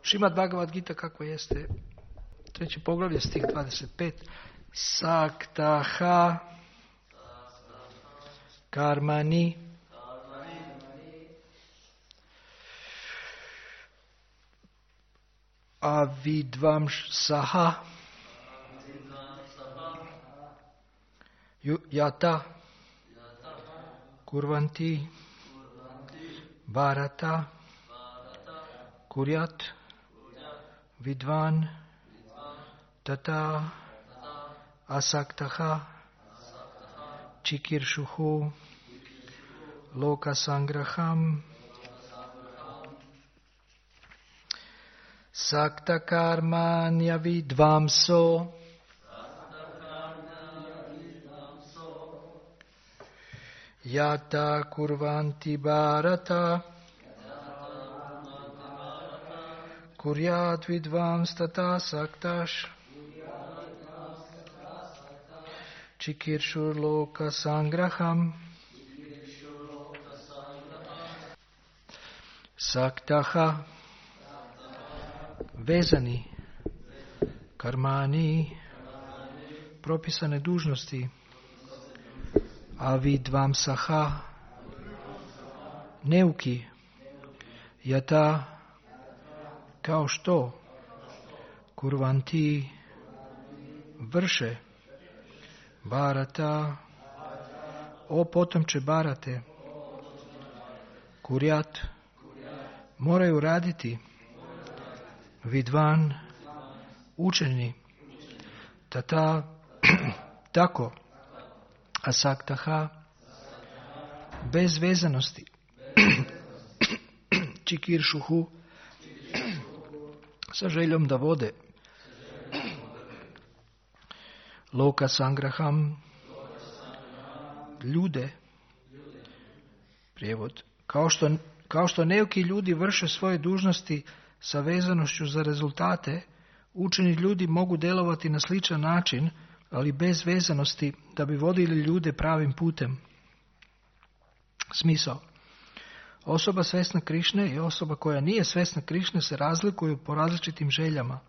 Šrimad Bhagavad Gita kako jeste, 3. poglavlje, stih 25. Saktaha karmani avidvamsaha yata kurvanti bharata kuryat vidvan tata asaktaha chikirshuhu lokasangraham sakta karmanya vidvamso yata kurvanti bharata kuryat vidvams tata saktash chikirshur loka sangraham saktaha vezani karmani propisane dužnosti avidvamsaha neuki yata kao što kurvanti vrše Bharata o potomče Bharate kuryat moraju raditi vidvan učeni tata tako asaktaha bez vezanosti čikiršuhu sa željom da vode loka sangraham ljude prijevod kao što neki ljudi vrše svoje dužnosti sa vezanošću za rezultate, učeni ljudi mogu djelovati na sličan način, ali bez vezanosti da bi vodili ljude pravim putem. Smisao. Osoba svesna Krišne i osoba koja nije svesna Krišne se razlikuju po različitim željama.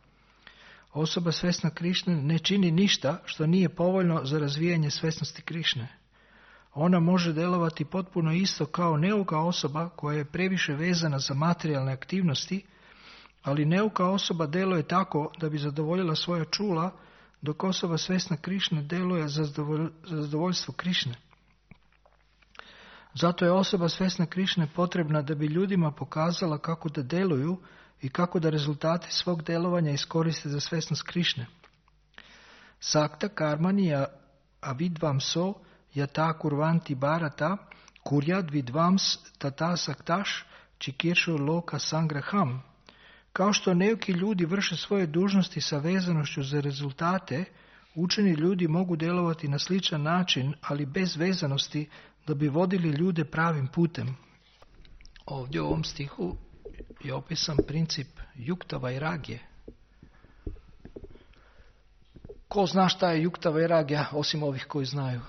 Osoba svesna Krišne ne čini ništa što nije povoljno za razvijanje svesnosti Krišne. Ona može djelovati potpuno isto kao neuka osoba koja je previše vezana za materijalne aktivnosti, ali neuka osoba djeluje tako da bi zadovoljila svoja čula, dok osoba svesna Krišne djeluje za zadovoljstvo Krišne. Zato je osoba svesna Krišne potrebna da bi ljudima pokazala kako da djeluju i kako da rezultate svog djelovanja iskoriste za svesnost Krišne. Sakta karmani avidvamso yata kurvanti bharata kuryat vidvams tata saktaš čikiršu loka sangraham. Kao što neki ljudi vrše svoje dužnosti sa vezanošću za rezultate, učeni ljudi mogu djelovati na sličan način, ali bez vezanosti da bi vodili ljude pravim putem. Ovdje u ovom stihu je opisan princip yukta vairagije. Ko zna šta je yukta vairagija osim ovih koji znaju?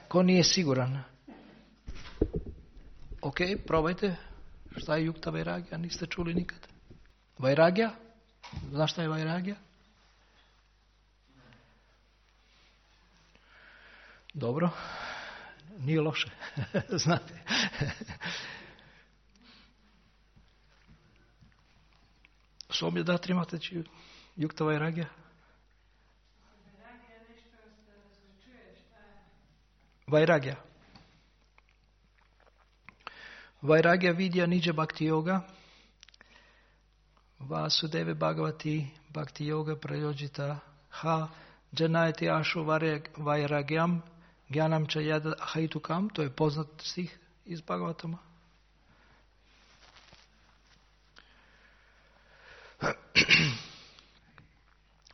Ko nije siguran? Ok, probajte. Šta je yukta vairagija? Niste čuli nikad. Vairagija? Znaš šta je vairagija? Dobro. Nije loše. Znate. Somje da trimate yukta vairagija? Vairagija. Vairagya vidya nija bhakti yoga Vasudeve Bhagavati Bhakti Yoga Prayojita Ha Janayati Ashu Vairagyam Gyanam Chayada Haitukam. To je poznat stih iz Bhagavatama.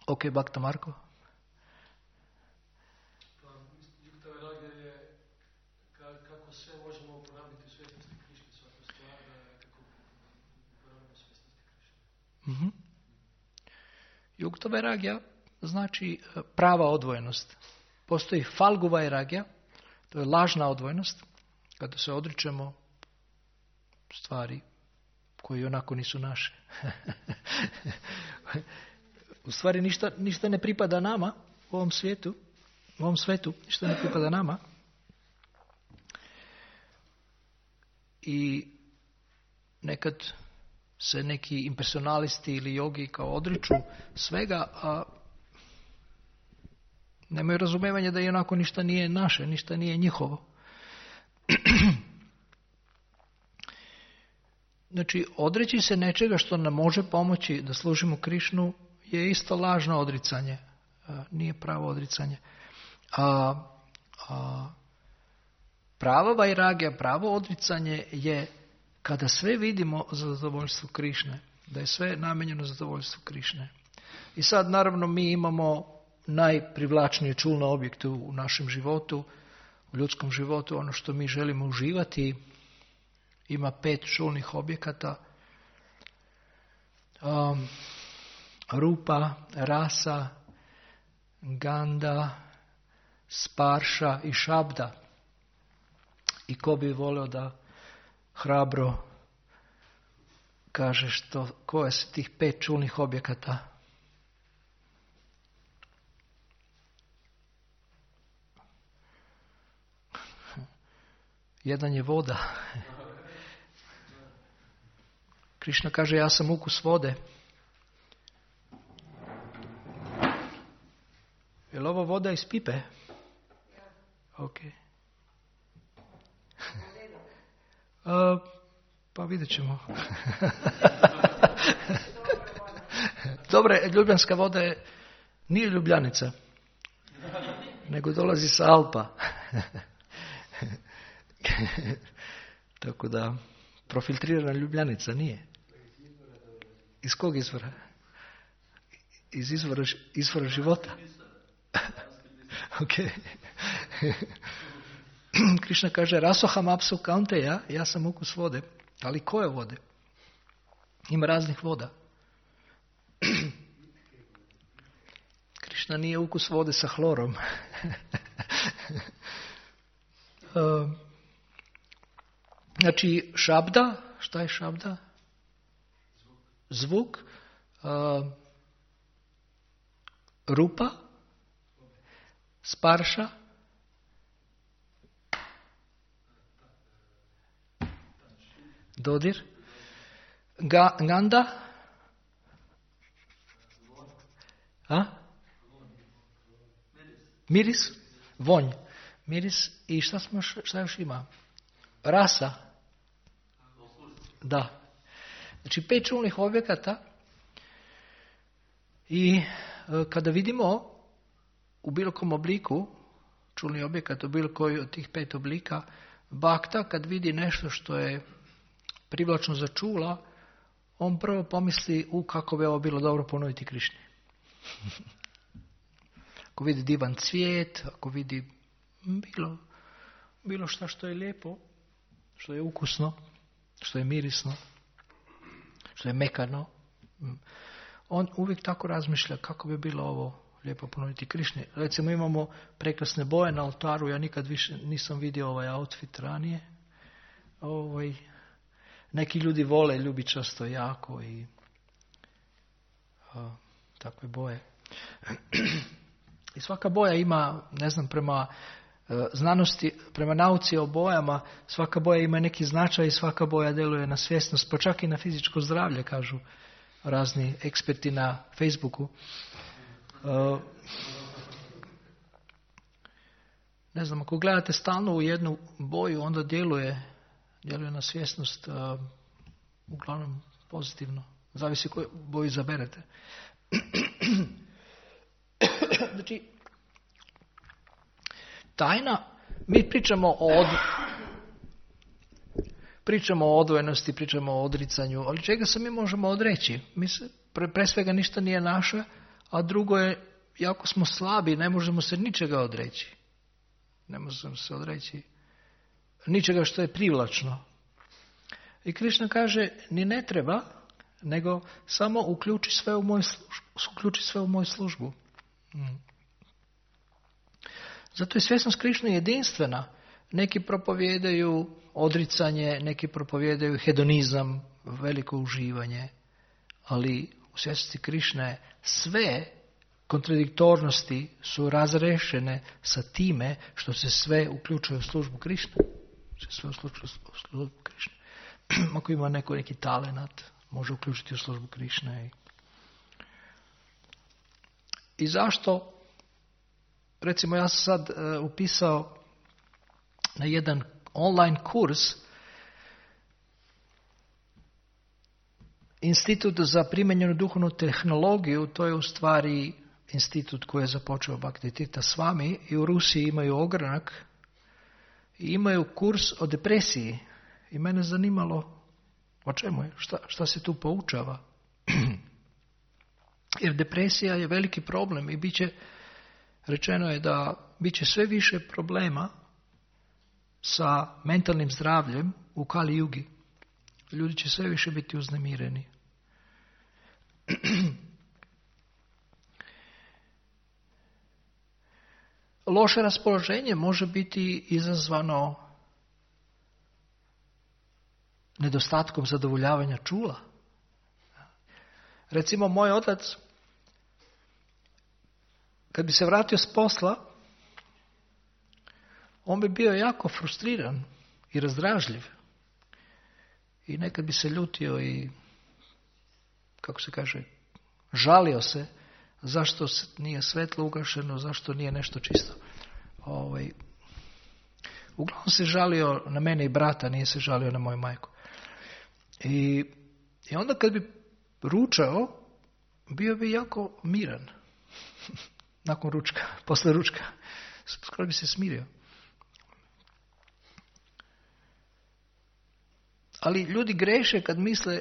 Ok, Bhakta Marko. Yukta vairagya znači prava odvojenost. Postoji falgu vairagya, to je lažna odvojenost, kada se odričemo stvari koji onako nisu naše. U stvari ništa ne pripada nama u ovom svetu, ništa ne pripada nama. I nekad se neki impersonalisti ili jogi kao odriču svega, a nemaju razumevanja da i onako ništa nije naše, ništa nije njihovo. Znači, odreći se nečega što nam može pomoći da služimo Krišnu je isto lažno odricanje. Nije pravo odricanje. Prava vajragija, pravo odricanje je kada sve vidimo za zadovoljstvo Krišne. Da je sve namenjeno za zadovoljstvo Krišne. I sad, naravno, mi imamo najprivlačnije čulne objekte u našem životu, u ljudskom životu, ono što mi želimo uživati. Ima 5 čulnih objekata. Rupa, rasa, ganda, sparša i šabda. I ko bi volio da hrabro kaže koje su tih 5 čulnih objekata? Jedan je voda. Krišna kaže, ja sam ukus vode. Je li ovo voda iz pipe? Ok. Pa vidjet ćemo. Dobre, ljubljanska voda nije Ljubljanica, nego dolazi sa Alpa. Tako da, profiltrirana Ljubljanica nije. Iz kog izvora? Iz izvora života. Ok. Krišna kaže, rasoham apsu kaunteja, ja sam ukus vode. Ali koje vode? Ima raznih voda. Krišna nije ukus vode sa hlorom. Znači, šabda, šta je šabda? Zvuk. Rupa. Sparša. Dodir. Ganda. Miris. Vonj. Miris. I šta još ima? Rasa. Da. Znači 5 čulnih objekata i kada vidimo u bilo kom obliku, čulni objekat u bilo koji od tih 5 oblika, bakta kad vidi nešto što je privlačno za čula, on prvo pomisli kako bi ovo bilo dobro ponuditi Krišni. Ako vidi divan cvijet, ako vidi bilo šta što je lijepo, što je ukusno, što je mirisno, što je mekano, on uvijek tako razmišlja kako bi bilo ovo lijepo ponuditi Krišni. Recimo imamo prekrasne boje na oltaru, ja nikad više nisam vidio ovaj outfit ranije. Neki ljudi vole ljubičasto jako i takve boje. I svaka boja ima, ne znam, prema znanosti, prema nauci o bojama, svaka boja ima neki značaj i svaka boja djeluje na svjesnost, pa čak i na fizičko zdravlje, kažu razni eksperti na Facebooku. Ne znam, ako gledate stalno u jednu boju, onda djeluje na svjesnost, uglavnom pozitivno. Zavisi koju boju izaberete. Znači, tajna, mi pričamo o odvojenosti, pričamo o odricanju, ali čega se mi možemo odreći? Mi se, pre svega ništa nije naše, a drugo je, jako smo slabi, ne možemo se ničega odreći. Ne možemo se odreći ničega što je privlačno. I Krišna kaže, ni ne treba, nego samo uključi sve u moju službu. Zato je svjesnost Krišne jedinstvena. Neki propovijedaju odricanje, neki propovijedaju hedonizam, veliko uživanje, ali u svjesnosti Krišne sve kontradiktornosti su razrešene sa time što se sve uključuje u službu Krišne. Sve u službu Krišne. Ako ima neki talenat, može uključiti u službu Krišne. I zašto? Recimo, ja sam sad upisao na jedan online kurs Institut za primijenjenu duhovnu tehnologiju. To je u stvari institut koji je započeo Bhaktivedanta Swami i u Rusiji imaju ogranak i imaju kurs o depresiji. I mene zanimalo o čemu je, šta se tu poučava. Jer depresija je veliki problem i rečeno je da bit će sve više problema sa mentalnim zdravljem u Kali Jugi. Ljudi će sve više biti uznemireni. Loše raspoloženje može biti izazvano nedostatkom zadovoljavanja čula. Recimo, moj otac, kad bi se vratio s posla, on bi bio jako frustriran i razdražljiv. I nekad bi se ljutio i, kako se kaže, žalio se zašto nije svetlo ugašeno, zašto nije nešto čisto. Uglavnom se žalio na mene i brata, nije se žalio na moju majku. I onda kad bi ručao, bio bi jako miran. Nakon ručka, posle ručka. Skoro bi se smirio. Ali ljudi greše kad misle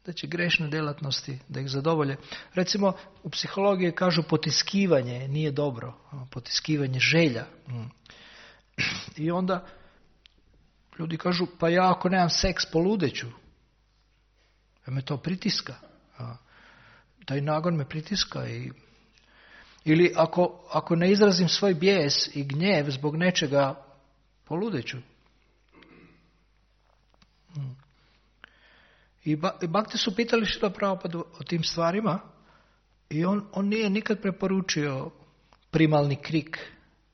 da će grešne djelatnosti da ih zadovolje. Recimo, u psihologiji kažu potiskivanje nije dobro. Potiskivanje želja. I onda ljudi kažu, pa ja ako nemam seks poludeću. Me to pritiska. Taj nagon me pritiska. Ili ako ne izrazim svoj bijes i gnjev zbog nečega, poludeću. I Bhakti su pitali Šrila Prabhupadu o tim stvarima i on nije nikad preporučio primalni krik.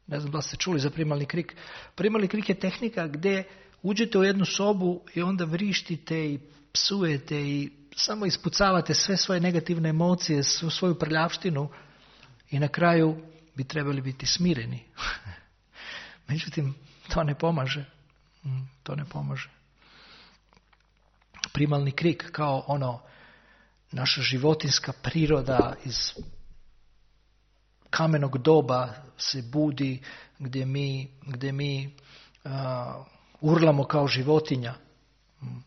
Ne znam da ste čuli za primalni krik. Primalni krik je tehnika gdje uđete u jednu sobu i onda vrištite i psujete i samo ispucavate sve svoje negativne emocije, svu svoju prljavštinu i na kraju bi trebali biti smireni. Međutim, to ne pomaže. To ne pomaže. Primalni krik kao naša životinska priroda iz kamenog doba se budi gdje mi urlamo kao životinja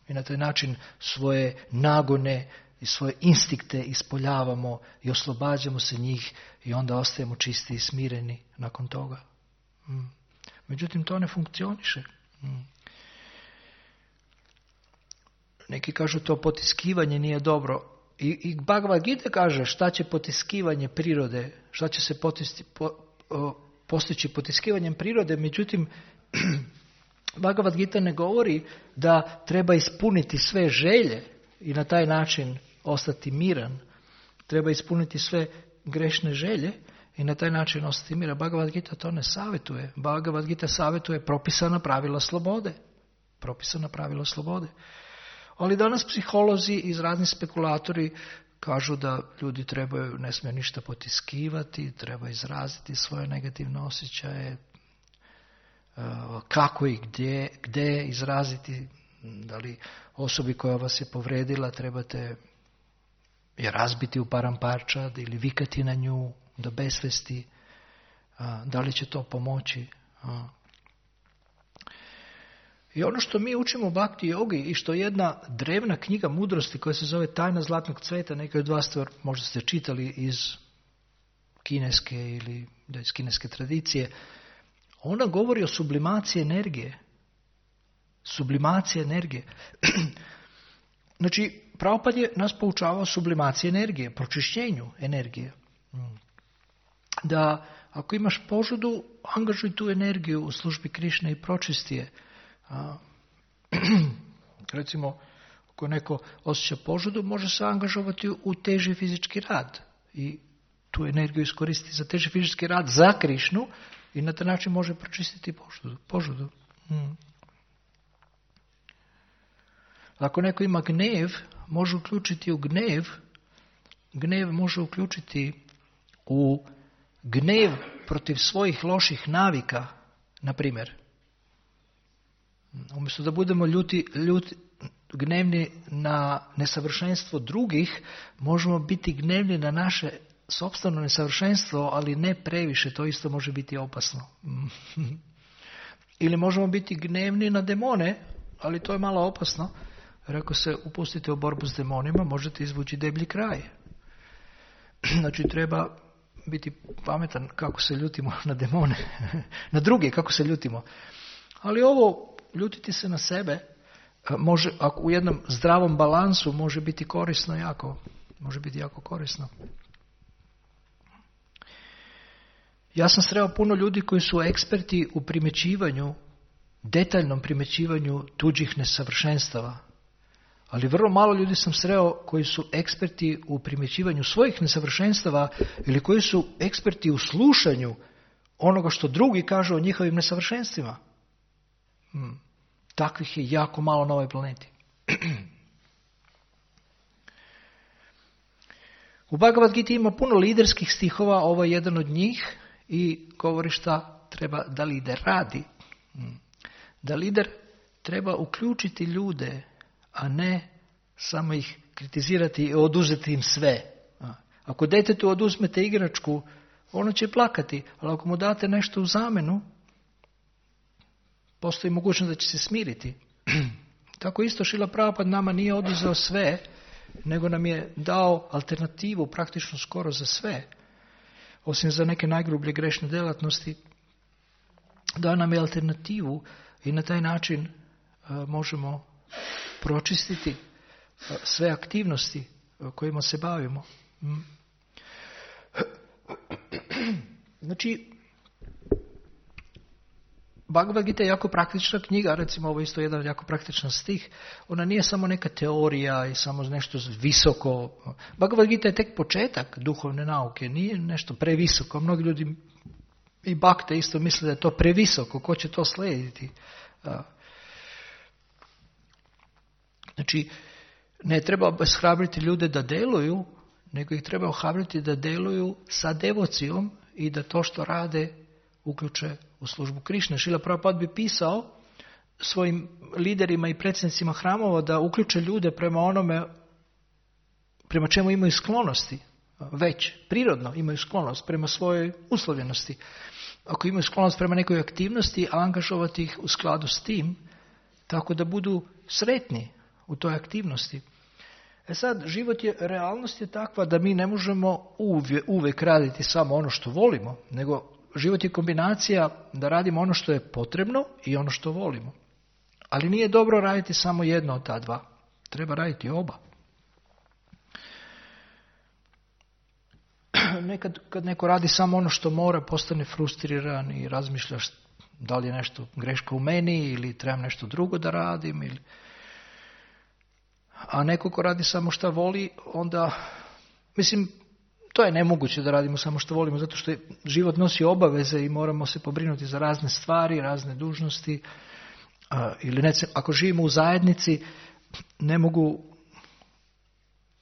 i na taj način svoje nagone i svoje instinkte ispoljavamo i oslobađamo se njih i onda ostajemo čisti i smireni nakon toga. Međutim, to ne funkcioniše. Neki kažu to potiskivanje nije dobro. I Bhagavad Gita kaže šta će potiskivanje prirode, šta će se postići potiskivanjem prirode. Međutim, Bhagavad Gita ne govori da treba ispuniti sve želje i na taj način ostati miran. Treba ispuniti sve grešne želje i na taj način ostati miran. Bhagavad Gita to ne savjetuje. Bhagavad Gita savjetuje propisana pravila slobode. Propisana pravila slobode. Ali danas psiholozi i razni spekulatori kažu da ljudi ne smiju ništa potiskivati, treba izraziti svoje negativne osjećaje, kako i gdje izraziti, da li osobi koja vas je povredila trebate je razbiti u paramparčad ili vikati na nju do besvesti, da li će to pomoći. I ono što mi učimo u Bhakti jogi i što je jedna drevna knjiga mudrosti koja se zove Tajna zlatnog cveta, neki od vas možda ste čitali iz kineske ili iz kineske tradicije, ona govori o sublimaciji energije. Sublimacija energije. Znači, Prabhupada je nas poučavao sublimaciji energije, pročišćenju energije. Da ako imaš požudu, angažuj tu energiju u službi Krišne i pročisti je. Recimo, Ako neko osjeća požudu, može se angažovati u teži fizički rad i tu energiju iskoristiti za teži fizički rad za Krišnu i na taj način može pročistiti požudu. Ako neko ima gnev, može uključiti u gnev može uključiti u gnev protiv svojih loših navika, na primjer. Umjesto da budemo gnevni na nesavršenstvo drugih, možemo biti gnevni na naše sopstveno nesavršenstvo, ali ne previše, to isto može biti opasno. Ili možemo biti gnevni na demone, ali to je malo opasno, jer ako se upustite u borbu s demonima, možete izvući deblji kraj. Znači treba biti pametan kako se ljutimo na demone, na druge kako se ljutimo. Ali ovo, ljutiti se na sebe, može, ako u jednom zdravom balansu može biti korisno jako korisno. Ja sam sreo puno ljudi koji su eksperti u primjećivanju, detaljnom primjećivanju tuđih nesavršenstava. Ali vrlo malo ljudi sam sreo koji su eksperti u primjećivanju svojih nesavršenstava ili koji su eksperti u slušanju onoga što drugi kažu o njihovim nesavršenstvima. Takvih je jako malo na ovoj planeti. U Bhagavad Gita ima puno liderskih stihova, ovo je jedan od njih i govori šta treba da lider radi. Da lider treba uključiti ljude, a ne samo ih kritizirati i oduzeti im sve. Ako djetetu oduzmete igračku, ono će plakati, ali ako mu date nešto u zamenu, postoji mogućnost da će se smiriti. Tako isto Šrila Prabhupada nama nije oduzeo sve, nego nam je dao alternativu praktično skoro za sve. Osim za neke najgrublje grešne djelatnosti, dao nam je alternativu i na taj način možemo pročistiti sve aktivnosti kojima se bavimo. Znači, Bhagavad Gita je jako praktična knjiga, recimo ovo je isto jedan jako praktičan stih. Ona nije samo neka teorija i samo nešto visoko. Bhagavad Gita je tek početak duhovne nauke, nije nešto previsoko. Mnogi ljudi i bakte isto misle da je to previsoko, ko će to slijediti. Znači, ne treba obeshrabriti ljude da deluju, nego ih treba ohrabriti da deluju sa devocijom i da to što rade uključe u službu Krišne. Šrila Prabhupada bi pisao svojim liderima i predsjednicima hramova da uključe ljude prema onome prema čemu imaju sklonosti. Već, prirodno imaju sklonost prema svojoj uslovljenosti. Ako imaju sklonost prema nekoj aktivnosti, angažovati ih u skladu s tim, tako da budu sretni u toj aktivnosti. Sad, realnost je takva da mi ne možemo uvijek raditi samo ono što volimo, nego život je kombinacija da radimo ono što je potrebno i ono što volimo. Ali nije dobro raditi samo jedno od ta dva. Treba raditi oba. Nekad kad neko radi samo ono što mora, postane frustriran i razmišljaš da li je nešto greška u meni ili trebam nešto drugo da radim. A neko ko radi samo što voli, onda, to je nemoguće da radimo samo što volimo, zato što život nosi obaveze i moramo se pobrinuti za razne stvari, razne dužnosti. Ako živimo u zajednici, ne mogu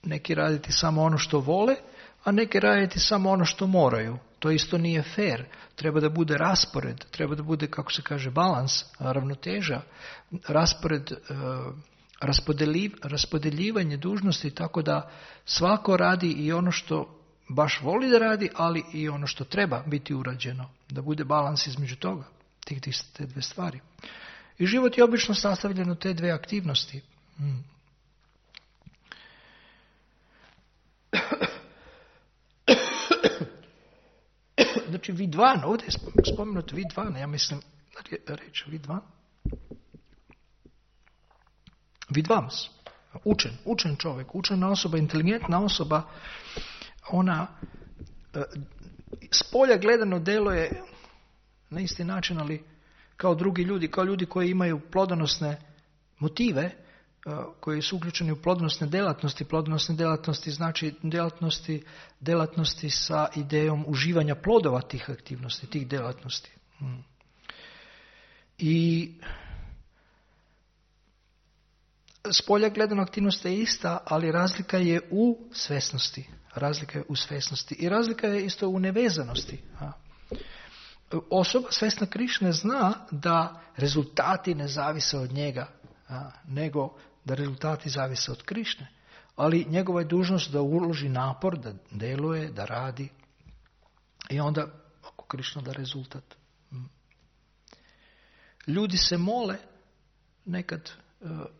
neki raditi samo ono što vole, a neki raditi samo ono što moraju. To isto nije fair. Treba da bude raspored, treba da bude, kako se kaže, balans, ravnoteža, raspored, raspodeljivanje dužnosti, tako da svako radi i ono što baš voli da radi, ali i ono što treba biti urađeno. Da bude balans između toga, te dve stvari. I život je obično sastavljen od te dve aktivnosti. Znači Vidvan, ovdje je spomenut Vidvan, ja mislim reći Vidvan. Vidvams, učen čovjek, učena osoba, inteligentna osoba, ona s polja gledano deluje na isti način, ali kao drugi ljudi, kao ljudi koji imaju plodonosne motive, koji su uključeni u plodonosne djelatnosti. Plodonosne djelatnosti znači djelatnosti sa idejom uživanja plodova tih aktivnosti, tih djelatnosti. I s polja gledano aktivnost je ista, ali razlika je u svjesnosti. I razlika je isto u nevezanosti. Osoba svjesna Krišne zna da rezultati ne zavise od njega, nego da rezultati zavise od Krišne. Ali njegova je dužnost da uloži napor, da djeluje, da radi. I onda, ako Krišna da rezultat. Ljudi se mole nekad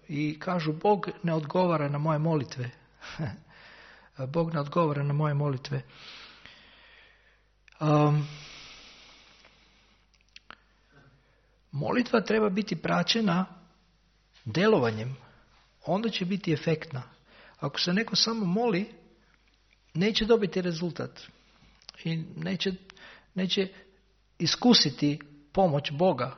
i kažu Bog ne odgovara na moje molitve. Bog ne odgovara na moje molitve. Molitva treba biti praćena djelovanjem. Onda će biti efektna. Ako se neko samo moli, neće dobiti rezultat. I neće iskusiti pomoć Boga.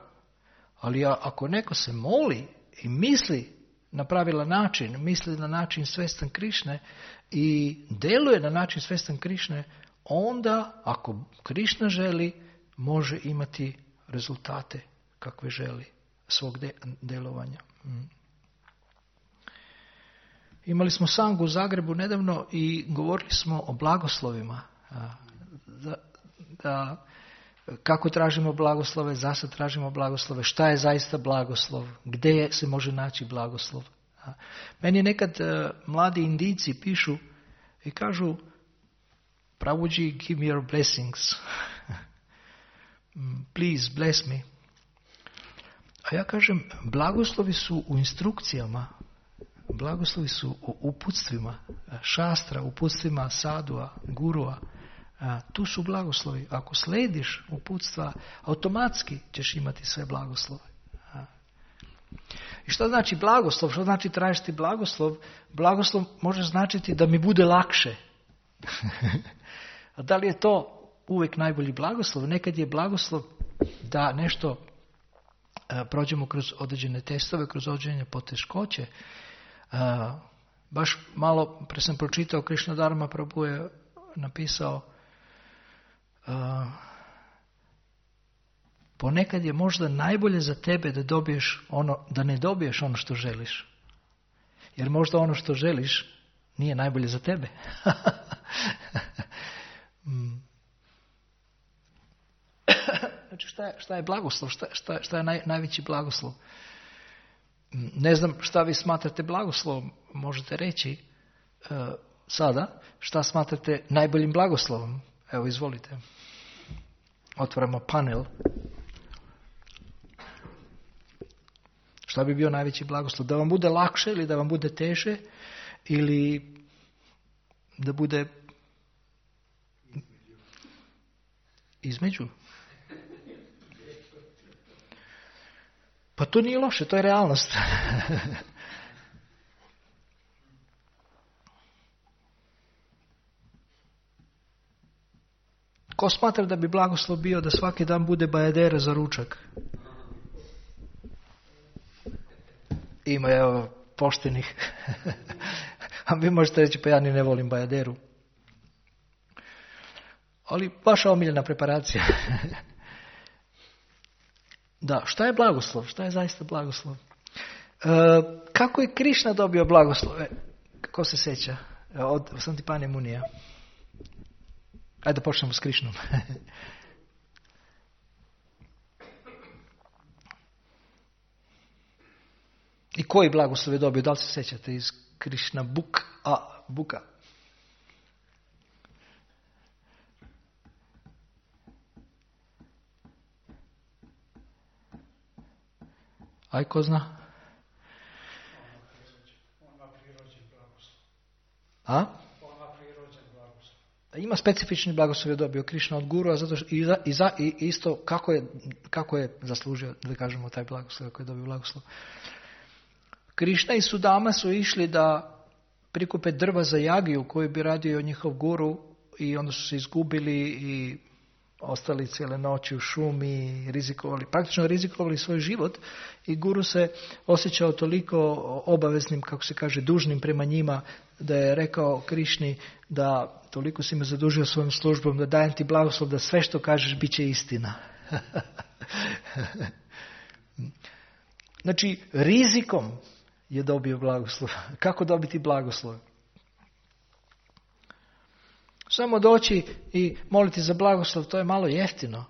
Ali ako neko se moli i misli na pravilan način, misli na način svjestan Krišne i djeluje na način svjestan Krišne, onda, ako Krišna želi, može imati rezultate kakve želi svog djelovanja. Imali smo sangu u Zagrebu nedavno i govorili smo o blagoslovima. Kako tražimo blagoslove, zašto tražimo blagoslove, šta je zaista blagoslov, gdje se može naći blagoslov. Meni nekad mladi Indijci pišu i kažu Prabhuji, give me your blessings. Please bless me. A ja kažem, blagoslovi su u instrukcijama, blagoslovi su u uputstvima, šastra, uputstvima sadua, gurua. Tu su blagoslovi. Ako slediš uputstva, automatski ćeš imati sve blagoslove. I što znači blagoslov? Što znači tražiti blagoslov? Blagoslov može značiti da mi bude lakše. A da li je to uvijek najbolji blagoslov? Nekad je blagoslov da nešto prođemo kroz određene testove, kroz određene poteškoće. Baš malo pre sam pročitao, Krishna Dharma Prabhu je napisao ponekad je možda najbolje za tebe da ne dobiješ ono što želiš. Jer možda ono što želiš nije najbolje za tebe. Znači šta je blagoslov? Šta je najveći blagoslov? Ne znam šta vi smatrate blagoslovom. Možete reći sada šta smatrate najboljim blagoslovom. Evo, izvolite. Otvaramo panel. Šta bi bio najveći blagoslov? Da vam bude lakše ili da vam bude teže? Ili da bude između? Pa to nije loše, to je realnost. Ko smatra da bi blagoslov bio da svaki dan bude bajadera za ručak? Ima evo poštenih. A vi možete reći pa ja ni ne volim bajaderu. Ali vaša omiljena preparacija. Da, šta je blagoslov? Šta je zaista blagoslov? Kako je Krišna dobio blagoslove? Ko se sjeća? Od Santipane Munija. Ajde da počnemo s Krišnom. I koji blagoslov je dobio? Da li se sjećate iz Krišna Buka? Aj, ko zna? A? Ima specifični blagoslov je dobio Krišna od Guru, a zato što, i isto kako je zaslužio, da kažemo, taj blagoslov, kako je dobio blagoslov. Krišna i Sudama su išli da prikupe drva za jagiju koju bi radio njihov guru i onda su se izgubili i ostali cijele noći u šumi, praktično rizikovali svoj život i guru se osjećao toliko obaveznim, kako se kaže, dužnim prema njima, da je rekao Krišni da toliko si me zadužio svojom službom, da dajem ti blagoslov da sve što kažeš bit će istina. Znači, rizikom je dobio blagoslov. Kako dobiti blagoslov? Samo doći i moliti za blagoslov, to je malo jeftino.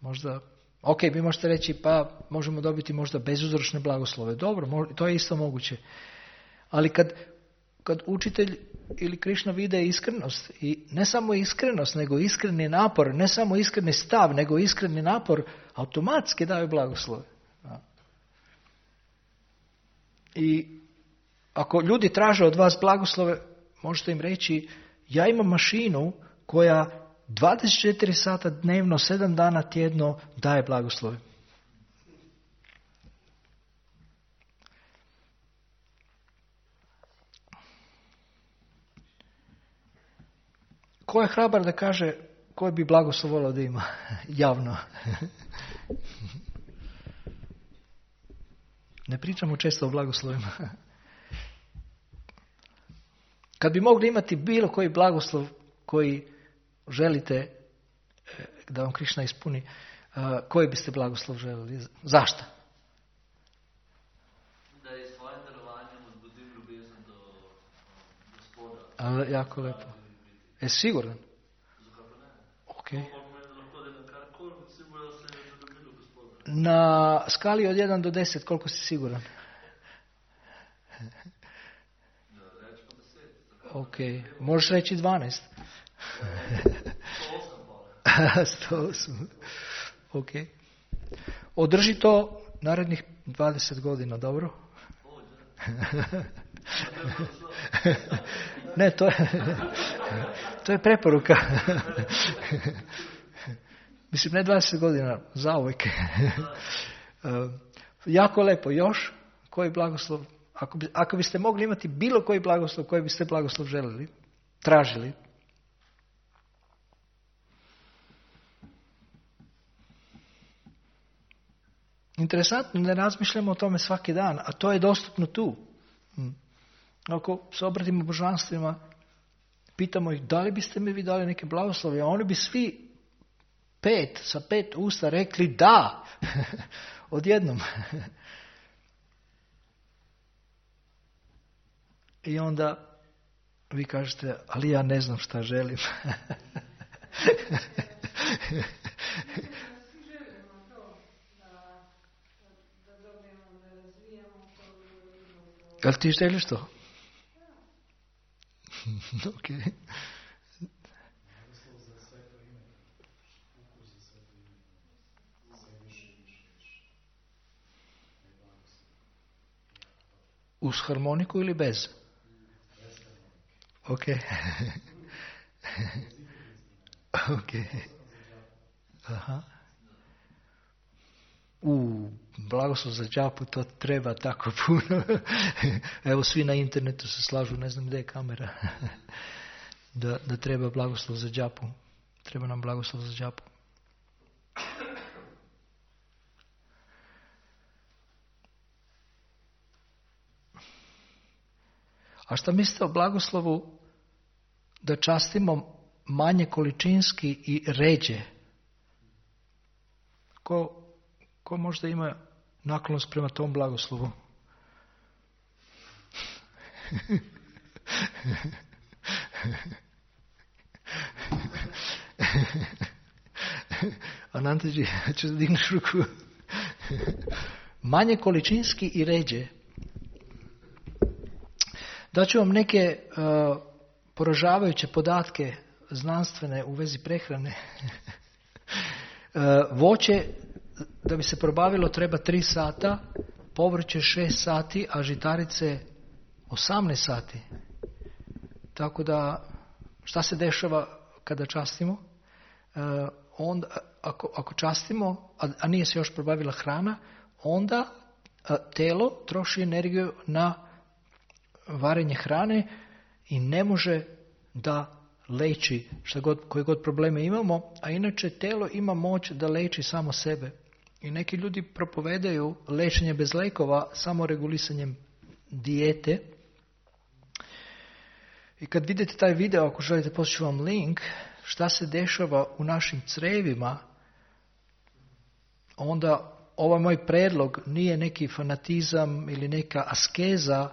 Možda, ok, vi možete reći, pa možemo dobiti možda bezuzročne blagoslove. Dobro, to je isto moguće. Ali kad učitelj ili Krišna vide iskrenost, i ne samo iskrenost, nego iskreni napor, ne samo iskreni stav, nego iskreni napor, automatski daju blagoslove. I ako ljudi traže od vas blagoslove, možete im reći, ja imam mašinu koja 24 sata dnevno, 7 dana tjedno daje blagoslove. Ko je hrabar da kaže koji bi blagoslov volio da ima javno? Ne pričamo često o blagoslovima. Kad bi mogli imati bilo koji blagoslov koji želite da vam Krišna ispuni, koji biste blagoslov želeli? Zašto? Da je svojim darovanjem uzbudim ljubezen do Gospoda. Jako lepo. Je siguran? Zakaj pa ne? Ok. Lahko da na karkoli, sigurno da se je zaljubilo Gospoda. Na skali od 1 do 10, koliko si siguran? Reči pa 10. Ok, možeš reći 12. 108. Ok. Održi to narednih 20 godina, dobro? Ne, to je preporuka. Mislim, ne 20 godina, zauvijek. Jako lepo. Još koji blagoslov? Ako biste mogli imati bilo koji blagoslov, koji biste blagoslov želeli, tražili? Interesantno, ne razmišljamo o tome svaki dan, a to je dostupno tu. Ako se obratimo božanstvima, pitamo ih, da li biste mi vi dali neke blagoslove, a oni bi svi sa 5 usta rekli da, odjednom. I onda vi kažete, ali ja ne znam šta želim. Jel ti želiš to? Ok. Uz harmoniku ili bez? Ok. Ok. Aha. Blagoslov za džapu, to treba tako puno. Evo, svi na internetu se slažu, ne znam gdje je kamera. Da treba blagoslov za džapu. Treba nam blagoslov za džapu. A šta mislite o blagoslovu da častimo manje količinski i ređe? Ko možda ima naklonost prema tom blagoslovu? Anantaji, ću da digneš ruku. Manje količinski i ređe. Daću vam neke poražavajuće podatke znanstvene u vezi prehrane. Voće, da bi se probavilo, treba 3 sata, povrće 6 sati, a žitarice 18 sati. Tako da, šta se dešava kada častimo? Onda, ako častimo, a nije se još probavila hrana, onda telo troši energiju na varenje hrane i ne može da leči koje god probleme imamo, a inače telo ima moć da leči samo sebe. I neki ljudi propovedaju lečenje bez lekova samo regulisanjem dijete. I kad vidite taj video, ako želite poslati vam link, šta se dešava u našim crevima, onda ovaj moj predlog nije neki fanatizam ili neka askeza,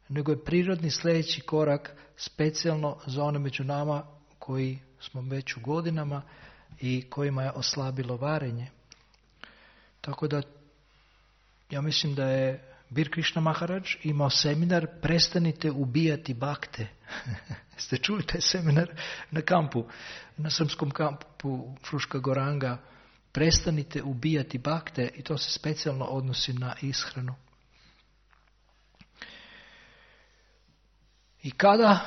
nego je prirodni sljedeći korak specijalno za one među nama koji smo već u godinama i kojima je oslabilo varenje. Tako da ja mislim da je Bir Krishna Maharaj imao seminar Prestanite ubijati bakte. Ste čuli taj seminar na kampu, na srpskom kampu Fruška Goranga? Prestanite ubijati bakte, i to se specijalno odnosi na ishranu. I kada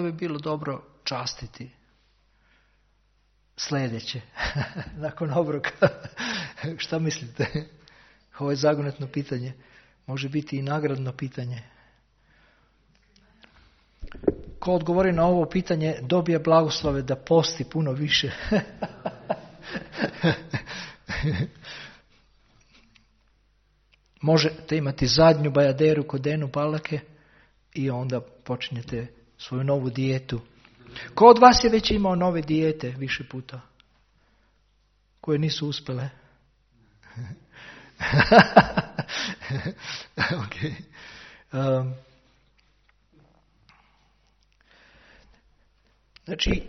bi bilo dobro častiti sljedeće, nakon obroka? Šta mislite? Ovo je zagonetno pitanje. Može biti i nagradno pitanje. Ko odgovori na ovo pitanje dobije blagoslove da posti puno više. Možete imati zadnju bajaderu kod Denu Palake i onda počinjete svoju novu dijetu. Ko od vas je već imao nove dijete više puta? Koje nisu uspjele? Okay. Znači,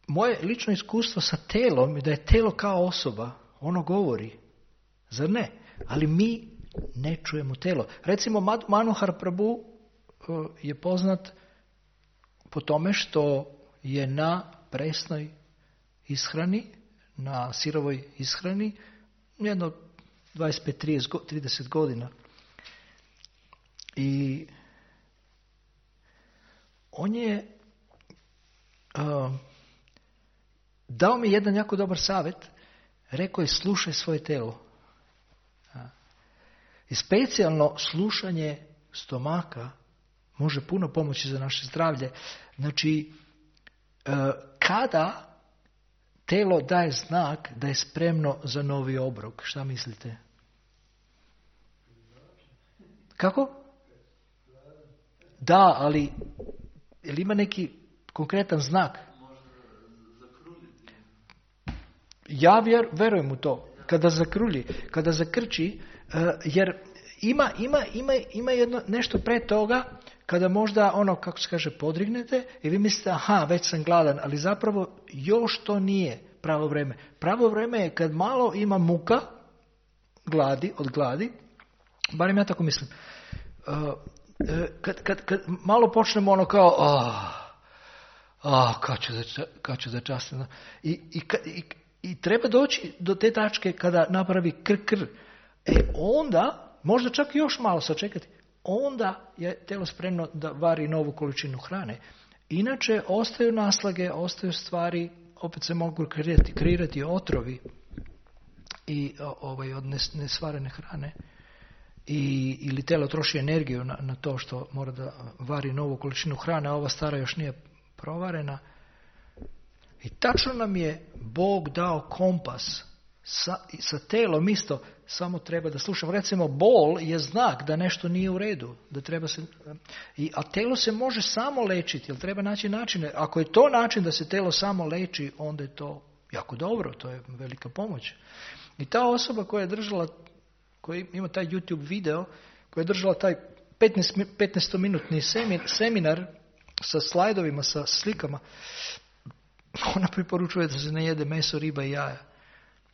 moje lično iskustvo sa telom je da je telo kao osoba. Ono govori. Zar ne? Ali mi ne čujemo telo. Recimo, Manohar Prabhu je poznat po tome što je na presnoj ishrani, na sirovoj ishrani, jedno 25-30 godina. I on je dao mi jedan jako dobar savjet. Rekao je: slušaj svoje telo. I specijalno slušanje stomaka može puno pomoći za naše zdravlje. Znači, kada telo daje znak da je spremno za novi obrok, šta mislite? Kako? Da, ali jel ima neki konkretan znak? Ja verujem u to. Kada zakrulji, kada zakrči, jer ima jedno nešto pre toga, kada možda kako se kaže, podrignete i vi mislite: aha, već sam gladan, ali zapravo još to nije pravo vrijeme. Pravo vrijeme je kad malo ima muka, od gladi, barem ja tako mislim. Kad malo počnemo kao kad ću začastiti. I treba doći do te tačke kada napravi kr. Onda, možda čak još malo sačekati, onda je telo spremno da vari novu količinu hrane. Inače, ostaju naslage, ostaju stvari, opet se mogu kreirati otrovi i od nesvarene hrane. Ili telo troši energiju na to što mora da vari novu količinu hrane, a ova stara još nije provarena. I tačno nam je Bog dao kompas sa telom isto, samo treba da slušamo. Recimo, bol je znak da nešto nije u redu, da treba se, a telo se može samo lečiti, jer treba naći načine. Ako je to način da se telo samo leči, onda je to jako dobro, to je velika pomoć. I ta osoba koja je držala, koja ima taj YouTube video, koja je držala taj 15-minutni seminar sa slajdovima, sa slikama, ona preporučuje da se ne jede meso, riba i jaja.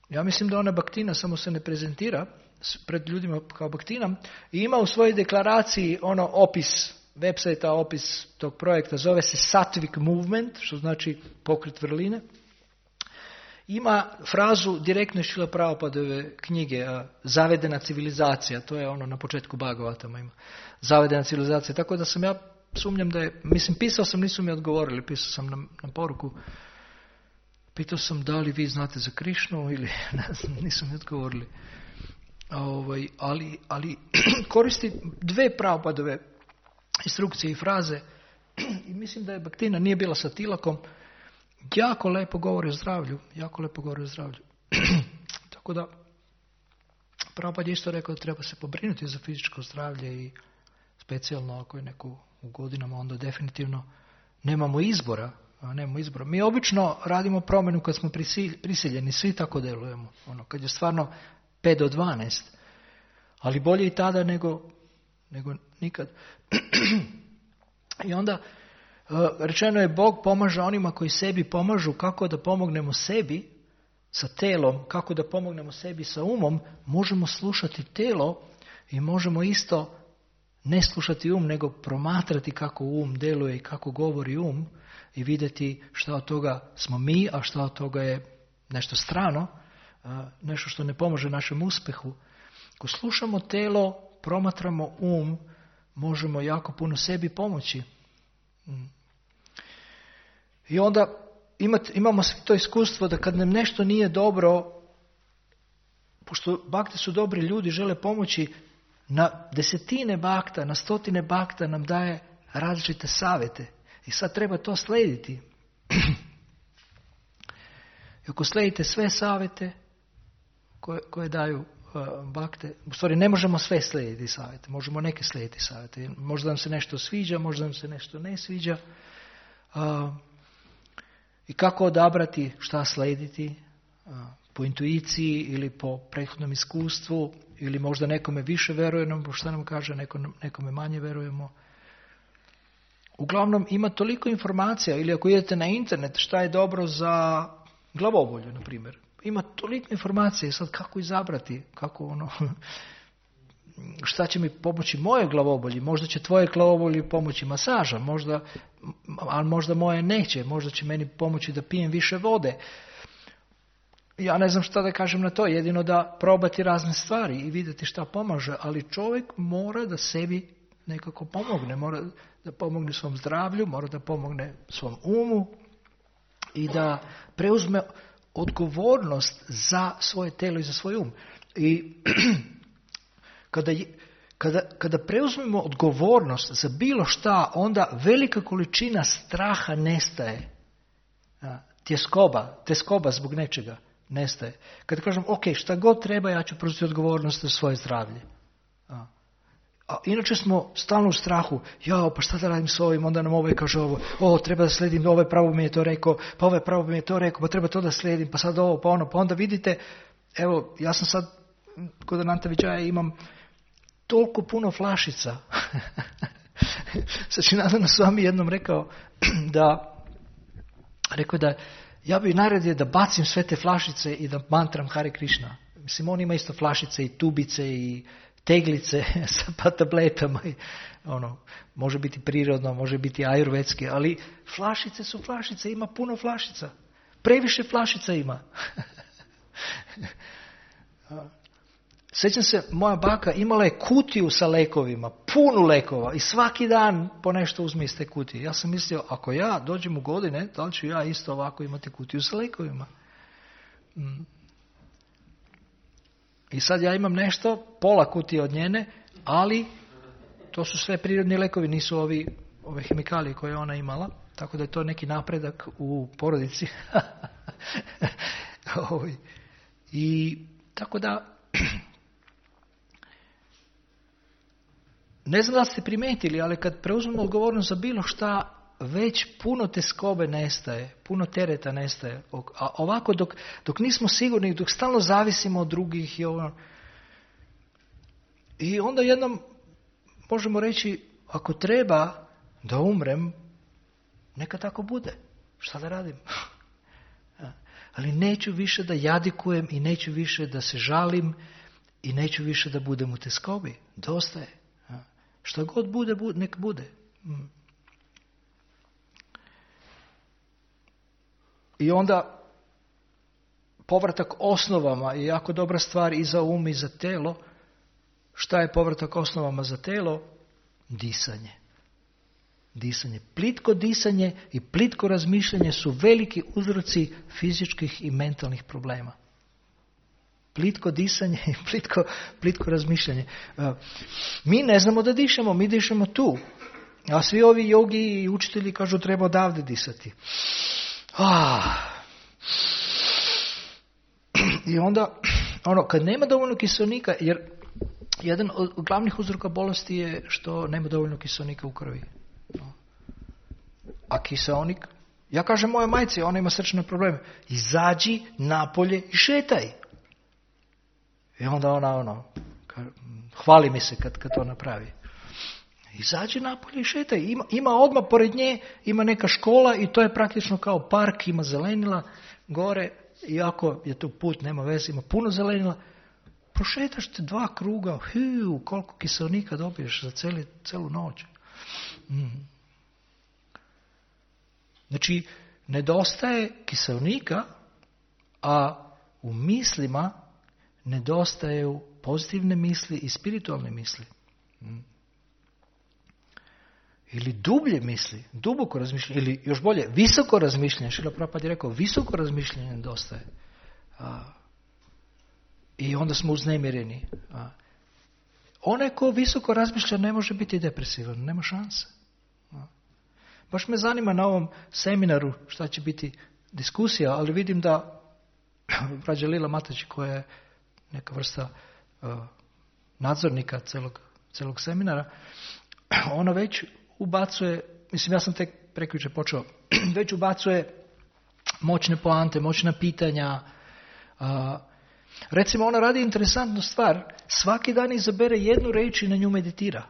Ja mislim da ona baktina, samo se ne prezentira pred ljudima kao baktina, i ima u svojoj deklaraciji opis website-a, opis tog projekta, zove se Sattvic Movement, što znači pokret vrline. Ima frazu direktno iz Šrila Prabhupadove knjige Zavedena civilizacija, to je na početku Bhagavatama ima. Zavedena civilizacija, tako da ja sumnjam da je, pisao sam, nisu mi odgovorili, pisao sam na poruku, pitao sam da li vi znate za Krišnu ili nisu mi odgovorili. Ali koristi dve Prabhupadove instrukcije i fraze I mislim da je Bhaktina nije bila sa Tilakom. Jako lepo govori o zdravlju. Tako da, Prabhupada je isto rekao da treba se pobrinuti za fizičko zdravlje i specijalno ako je neko u godinama, onda definitivno nemamo izbora. Mi obično radimo promjenu kad smo prisiljeni, svi tako delujemo. Kad je stvarno 5 do 12. Ali bolje i tada nego nikad. I onda rečeno je Bog pomaže onima koji sebi pomažu. Kako da pomognemo sebi sa telom, kako da pomognemo sebi sa umom, možemo slušati telo i možemo isto ne slušati nego promatrati kako um deluje i kako govori i vidjeti šta od toga smo mi, a šta od toga je nešto strano, nešto što ne pomaže našem uspjehu. Ako slušamo telo, promatramo možemo jako puno sebi pomoći. I onda imamo svi to iskustvo da kad nam nešto nije dobro, pošto bakte su dobri ljudi, žele pomoći, na 10 bakta, na 100 bakta nam daje različite savjete. I sad treba to slijediti. I ako slijedite sve savjete koje daju bakte, u stvari ne možemo sve slijediti savjete, možemo neke slijediti savjete. Možda nam se nešto sviđa, možda nam se nešto ne sviđa. I kako odabrati šta slijediti, po intuiciji ili po prethodnom iskustvu, ili možda nekome više verujemo, šta nam kaže, nekome manje verujemo. Uglavnom ima toliko informacija, ili ako idete na internet šta je dobro za glavobolju, na primjer. Ima toliko informacija, sad kako izabrati, šta će mi pomoći moje glavobolji, možda će tvoje glavobolji pomoći masaža, ali možda moje neće, možda će meni pomoći da pijem više vode. Ja ne znam šta da kažem na to, jedino da probati razne stvari i vidjeti šta pomaže, ali čovjek mora da sebi nekako pomogne, mora da pomogne svom zdravlju, mora da pomogne svom umu i da preuzme odgovornost za svoje telo i za svoj um. I kada preuzmemo odgovornost za bilo šta, onda velika količina straha nestaje. Tjeskoba zbog nečega nestaje. Kada kažem, ok, šta god treba, ja ću preuzeti odgovornost za svoje zdravlje. A inače smo stalno u strahu, pa šta da radim s ovim, onda nam ovaj kaže ovo, treba da slijedim, ovaj pravo mi je to rekao, pa ovaj pravo mi je to rekao, pa treba to da slijedim, pa sad ovo, pa ono, pa onda vidite, evo, ja sam sad, kod Ananta Viđaja imam toliko puno flašica. Sačinadana Swami jednom rekao da ja bih naredio da bacim sve te flašice i da mantram Hare Krishna. Mislim, on ima isto flašice i tubice i teglice sa tabletama. I, može biti prirodno, može biti ajurvedski, ali flašice su flašice, ima puno flašica. Previše flašica ima. Sjećam se, moja baka imala je kutiju sa lekovima, puno lekova i svaki dan po nešto uzme iz te kutije. Ja sam mislio, ako ja dođem u godine, da li ću ja isto ovako imati kutiju sa lekovima? I sad ja imam nešto, pola kutije od njene, ali to su sve prirodni lekovi, nisu ove hemikalije koje je ona imala, tako da je to neki napredak u porodici. I tako da ne znam da ste primetili, ali kad preuzmemo odgovornost za bilo šta, već puno teskobe nestaje, puno tereta nestaje. A ovako dok nismo sigurni, dok stalno zavisimo od drugih i onda jednom možemo reći, ako treba da umrem, neka tako bude. Šta da radim? Ali neću više da jadikujem i neću više da se žalim i neću više da budem u teskobi. Dosta je. Što god bude, nek bude. I onda povratak osnovama je jako dobra stvar i za um i za telo. Šta je povratak osnovama za telo? Disanje. Plitko disanje i plitko razmišljanje su veliki uzroci fizičkih i mentalnih problema. Plitko disanje i plitko razmišljanje. Mi ne znamo da dišemo, mi dišemo tu. A svi ovi jogi i učitelji kažu treba odavde disati. I onda, kad nema dovoljno kiselnika, jer jedan od glavnih uzroka bolesti je što nema dovoljno kiselnika u krvi. A kiseonik, ja kažem moja majci, ona ima srčane probleme, izađi napolje i šetaj. I onda ona hvali mi se kad to napravi. Izađi napolje i šetaj. Ima odmah pored nje, ima neka škola i to je praktično kao park, ima zelenila gore, iako je tu put, nema veze, ima puno zelenila. Prošetaš te 2 kruga, koliko kiselnika dobiješ za celu noć. Znači, nedostaje kiselnika, a u mislima nedostaju pozitivne misli i spiritualne misli. Ili dublje misli, duboko razmišljanje, ili još bolje, visoko razmišljanje. Šrila Prabhupada je rekao, visoko razmišljanje nedostaje. I onda smo uznemireni. Onaj ko visoko razmišlja ne može biti depresivan, nema šanse. Baš me zanima na ovom seminaru šta će biti diskusija, ali vidim da Rađa Lila Mataji, koja je neka vrsta nadzornika celog seminara, ona već ubacuje, mislim ja sam tek prekjučer počeo, već ubacuje moćne poante, moćna pitanja. Recimo ona radi interesantnu stvar, svaki dan izabere jednu reč i na nju meditira.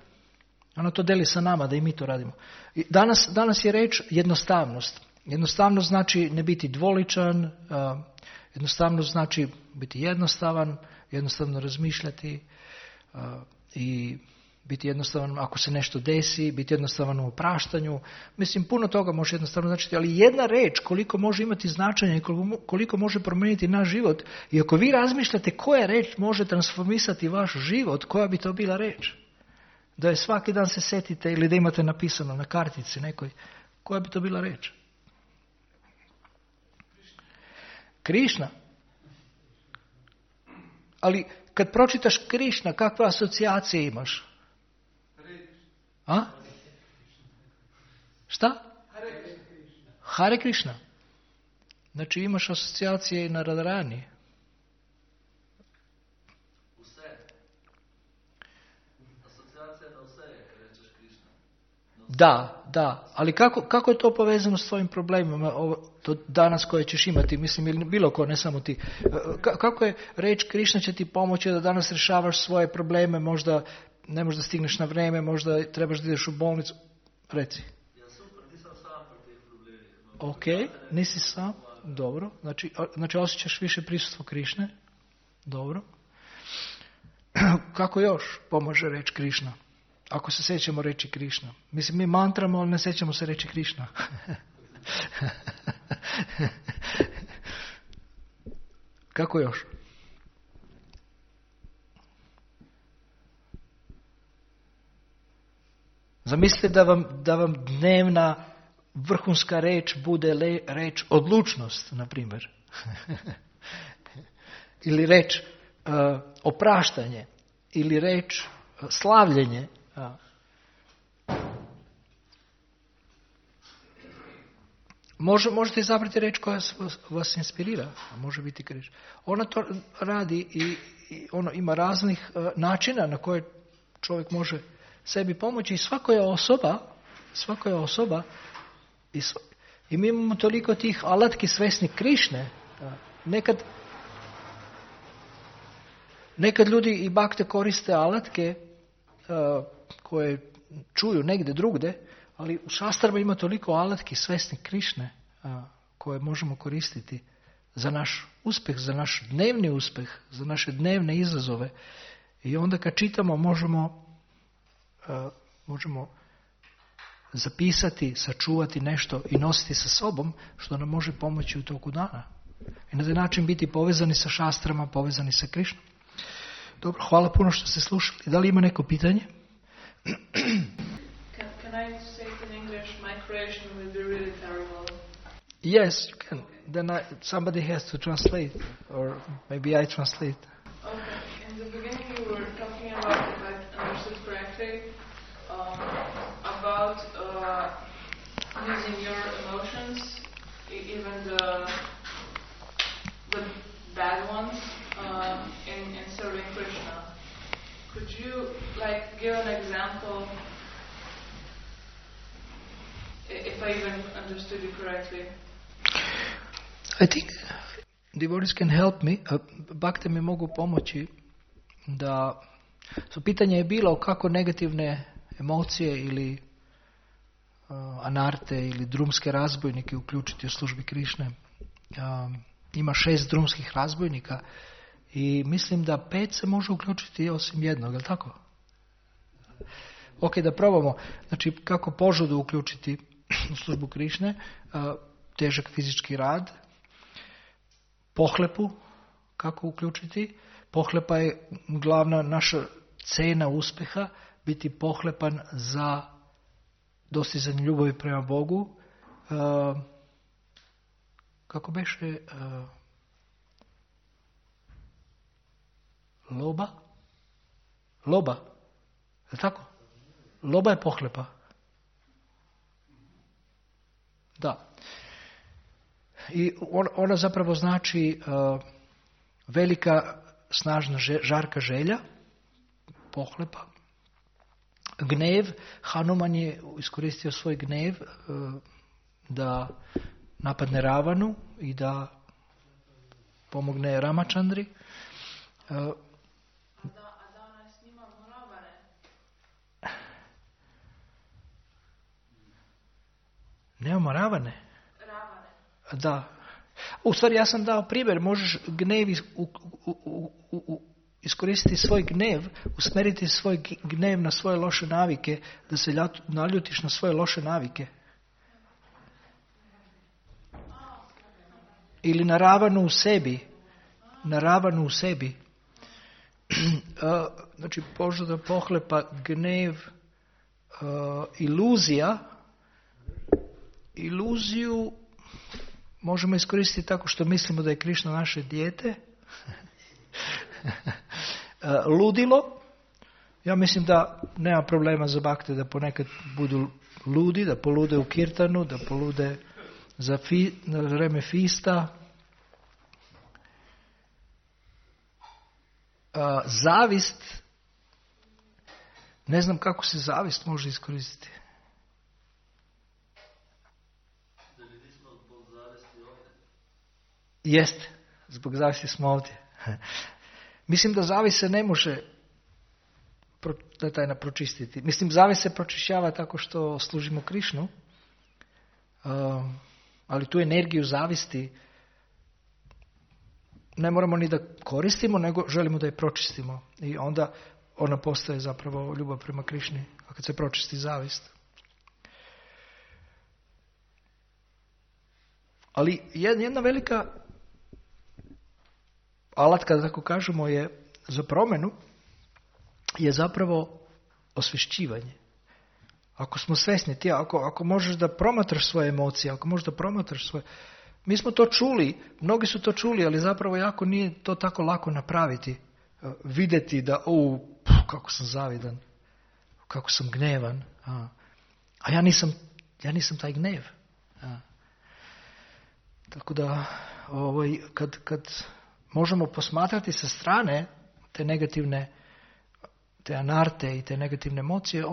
Ona to deli sa nama da i mi to radimo. Danas je reč jednostavnost. Jednostavnost znači ne biti dvoličan, jednostavnost znači biti jednostavan, jednostavno razmišljati i biti jednostavan ako se nešto desi, biti jednostavan u opraštanju. Mislim, puno toga može jednostavno značiti, ali jedna reč koliko može imati značenje i koliko može promijeniti naš život. I ako vi razmišljate koja reč može transformisati vaš život, koja bi to bila reč? Da je svaki dan se setite ili da imate napisano na kartici nekoj, koja bi to bila reč? Krišna. Ali kad pročitaš Krišna, kakve asocijacije imaš? A? Šta? Hare Krišna. Znači imaš asocijacije i na Radharani. Asocijacija na vse je, kad rečeš Krišna. Da. Ali kako je to povezano s tvojim problemima to danas koje ćeš imati? Mislim, ili bilo ko, ne samo ti. Kako je reč Krišna će ti pomoći da danas rješavaš svoje probleme, možda ne možda stigneš na vrijeme, možda trebaš da ideš u bolnicu. Reci. Ja super, nisam sam pri tih problemih. Ok, nisi sam. Dobro. Znači osjećaš više prisustvo Krišne. Dobro. Kako još pomaže reč Krišna? Ako se sjećamo reći Krišna. Mislim, mi mantramo, ali ne sjećamo se reći Krišna. Kako još? Zamislite da vam dnevna vrhunska reč bude reč odlučnost, na primjer. Ili reč opraštanje. Ili reč slavljenje. Možete izabrati reč koja vas inspirira. Može biti reč. Ona to radi i ono ima raznih načina na koje čovjek može sebi pomoći. I svako je osoba i mi imamo toliko tih alatki svesni Krišne. Nekad ljudi i bakte koriste alatke koje čuju negdje drugde, ali u šastrama ima toliko alatki svesni Krišne koje možemo koristiti za naš uspjeh, za naš dnevni uspjeh, za naše dnevne izazove. I onda kad čitamo možemo zapisati, sačuvati nešto i nositi sa sobom što nam može pomoći u toku dana. I na taj način biti povezani sa šastrama, povezani sa Krišnom. Dobro, hvala puno što ste slušali. Da li ima neko pitanje? Can I say it in English? My creation will be really terrible. Yes, you can. Then somebody has to translate, or maybe I translate. Okay. In the beginning, you were talking about, if I understood correctly, about if I even understood you correctly. I think devotees can help me, bhakte mi mogu pomoći da, pitanje je bilo kako negativne emocije ili anarte ili drumske razbojnike uključiti u službi Krišne. Ima 6 drumskih razbojnika i mislim da 5 se može uključiti osim jednog, je li tako? Ok, da probamo. Znači, kako požudu uključiti u službu Krišne, težak fizički rad, pohlepu, kako uključiti. Pohlepa je glavna naša cena uspjeha, biti pohlepan za dostizanje ljubavi prema Bogu. Kako beše? Loba. Je tako? Loba je pohlepa. Da. I ona zapravo znači velika, snažna, žarka želja, pohlepa. Gnev, Hanuman je iskoristio svoj gnev da napadne Ravanu i da pomogne Ramachandri. Nemamo Ravane? Da. U stvari ja sam dao primjer, možeš gnev iskoristiti svoj gnev, usmjeriti svoj gnev na svoje loše navike, da se naljutiš na svoje loše navike. Ili na Ravanu u sebi. Znači, požuda, pohlepa, gnev, iluziju možemo iskoristiti tako što mislimo da je Krišna naše dijete. Ludilo, ja mislim da nema problema za bhakte da ponekad budu ludi, da polude u kirtanu, da polude na vreme fista. Zavist, ne znam kako se zavist može iskoristiti. Jeste, zbog zavisti smo ovdje. Mislim da zavist se ne može pročistiti. Mislim, zavist se pročišćava tako što služimo Krišnu, ali tu energiju zavisti ne moramo ni da koristimo, nego želimo da je pročistimo. I onda ona postaje zapravo ljubav prema Krišni, a kad se pročisti zavist. Ali jedna velika alatka, da tako kažemo, je za promjenu, je zapravo osvješćivanje. Ako smo svjesni, ako možeš da promatraš svoje emocije, ako možeš da promatraš svoje... Mi smo to čuli, mnogi su to čuli, ali zapravo jako nije to tako lako napraviti. Vidjeti da, kako sam zavidan, kako sam gnevan. A ja nisam taj gnev. Tako da, kad možemo posmatrati sa strane te negativne, te anarte i te negativne emocije,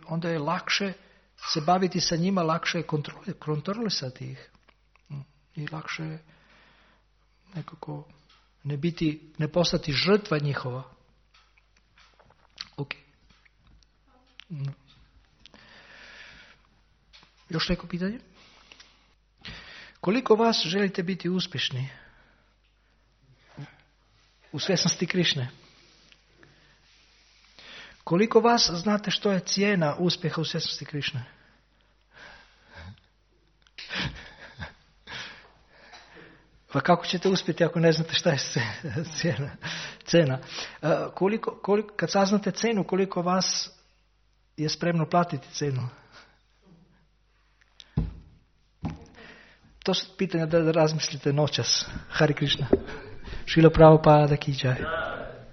onda je lakše se baviti sa njima, lakše je kontrolisati ih. I lakše je nekako ne postati žrtva njihova. Ok. Još neko pitanje? Koliko vas želite biti uspješni u svjesnosti Krišne? Koliko vas znate što je cijena uspjeha u svjesnosti Krišne? Pa kako ćete uspjeti ako ne znate šta je cena? Kad saznate cenu, koliko vas je spremno platiti cenu? To su pitanja da razmislite noćas. Hari Krišna. Šrila Prabhupada ki jai.